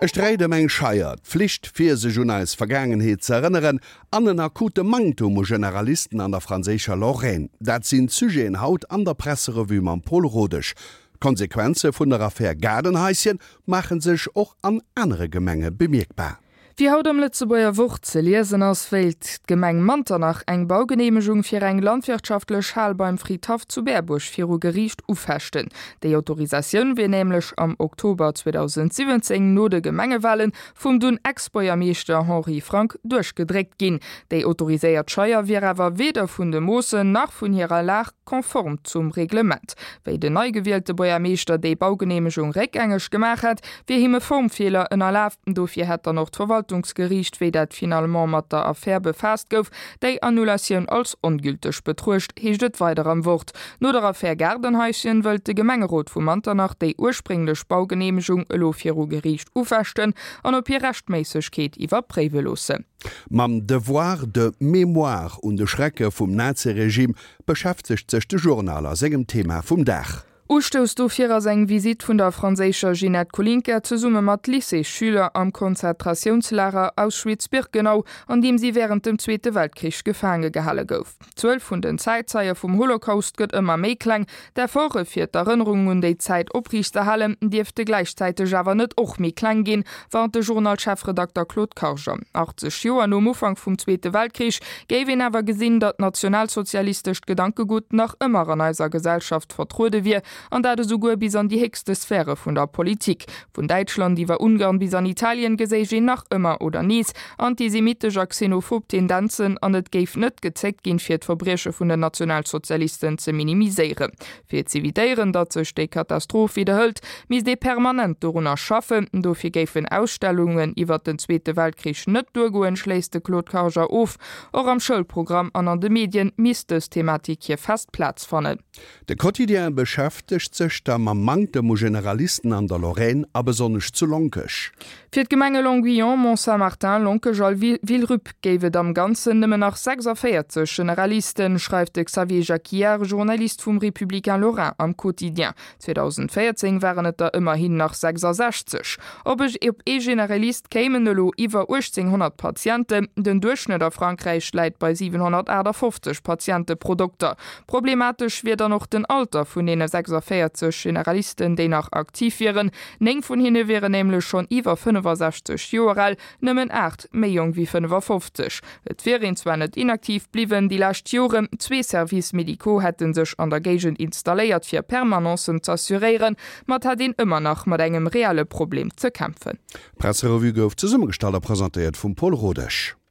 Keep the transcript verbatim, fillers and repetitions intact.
E Sträit ëm eng Scheier, d'Flicht fir sech un eis Vergaangenheet ze erënneren an en akute Manktum u Generalisten an der franséischer Lorraine, dat sinn d'Sujeten haut an der Presserevue mam Paul Rodesch. D'Konsequenze vun der Affär Gaardenhaischen maache sech och an anere Gemenge bemierkbar. Wéi haut am Lëtzebuerger Wort ze liesen ass, wéilt d'Gemeng Manternach eng Baugeneemegung fir eng landwirtschaftlech Hal beim Fridhaff zu Berbuerg viru Geriicht ufechten. Déi Autorisatioun wier nämlech am Oktober zweedausendsiwwenzéng no de Gemengewalen vum dunn Ex-Buergermeeschter Henri Frank duerchgedréckt ginn. Déi autoriséiert Scheier wier awer weder vun de Moossen nach vun hirer Lag konform zum Reglement. Wéi den nei gewielte Buergermeeschter déi Baugeneemegung réckgängeg gemaach hätt, wier him e Formfeeler ënnerlaf. Dofir hätt dann och d'Verwaltungsgeriicht, wéi dat finalement mat der Affär befaasst gouf, déi Annulatioun als ongülteg betruecht, heescht et weider am Wort. No der Affär Gaardenhaischen wëllt de Gemengerot vu Manternach déi ursprénglech Baugeneemegung elo viru Geriicht ufechten an op hir Rechtméissegkeet iwwerpréiwe loossen. Mam Devoir de mémoire un de Schrecke vum Naziregime beschäftegt sech de Journal a sengem Thema vum Dag. Ustouss dofir ass eng Visitt vun der franséischer Ginette Kolinka zesumme mat Lycéesschüler am Konzentratiounslager Auschwitz-Birkenau, an deem si wärend dem Zweete Weltkrich gefaange gehale gouf. D'Zuel vun den Zäitzeie vum Holocaust gëtt ëmmer méi kleng. D'Efforte fir d'Erënnerung un déi Zäit opriichtzehalen, dierfte gläichzäiteg awer net och méi kleng ginn, warnt de Journal-Chefredakter Claude Karger. achtzeg Joer nom Ufank vum Zweete Weltkrich géif een awer gesinn, datt nationalsozialistescht Gedankegutt nach ëmmer an eiser Gesellschaft vertruede wier, an dat esouguer bis an déi héchste Sphäre vun der Politik. Vun Däitschland iwwer Ungarn bis an Italien geséich een nach ëmmer oder nees antisemitesch a xenophob Tendenzen an et géif net gezéckt ginn, fir d'Verbrieche vun den Nationalsozialisten ze minimiséieren. Fir z'evitéieren, datt sech déi Katastroph widderhëlt, misst ee permanent dorunner schaffen. Dofir géifen Ausstellungen iwwer den Zweete Weltkrich net duergoen, schléisst de Claude Karger of. Och am Schoulprogramm an an de Medien misst dës Thematik hir fest Plaz fannen. De Quotidien beschäftegt sech da mam Manktem u Generalisten an der Lorraine a besonnesch zu Lonkech. Fir d'Gemenge Longuyon, Mont-Saint-Martin, Lonkech a Villerupt géif et am Ganzen nëmmen nach sechsavéierzeg Generalisten, schreift de Xavier Jacquiard, Journalist vum Républicain Lorrain am Quotidien. zweedausendvéierzéng waren et der ëmmerhin nach sechsasechzeg. Op ee Generalist kéimen elo iwwer uechtzénghonnert Patienten, den Duerchschnëtt a Frankräich läit bei siwenhonnertaachtafoffzeg Patiente pro Dokter. Problematesch wier dann och den Alter vun deene sechsavéierzeg Generalisten, déi nach aktiv wieren. Néng vun hinne wieren nämlech schonn iwwer fënnefasechzeg Joer al, nëmmen aacht méi jonk wéi fënnefafofzeg. Et wier een zwar net inaktiv bliwwen déi lescht Joren, zwee Services médicaux hätte sech an der Géigend installéiert fir Permanencen z'assuréieren, ma et hätt een ëmmer nach mat engem reelle Problem ze kämpfen. D'Presserevue gouf zesummegestallt a presentéiert vum Paul Rodesch.